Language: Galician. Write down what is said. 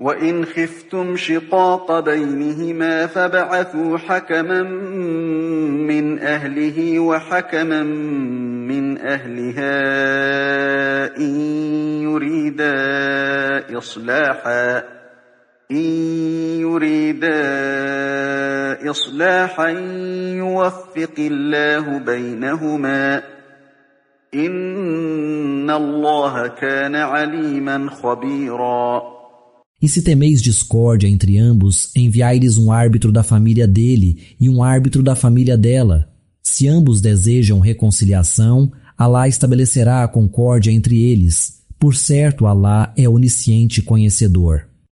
وإن خفتم شقاق بينهما فابعثوا حكما من أهله وحكما من أهلها إن يريدا إصلاحا يوفق الله بينهما إن الله كان عليما خبيرا. E se temeis discórdia entre ambos, enviai-lhes um árbitro da família dele e um árbitro da família dela. Se ambos desejam reconciliação, Alá estabelecerá a concórdia entre eles. Por certo, Alá é onisciente conhecedor.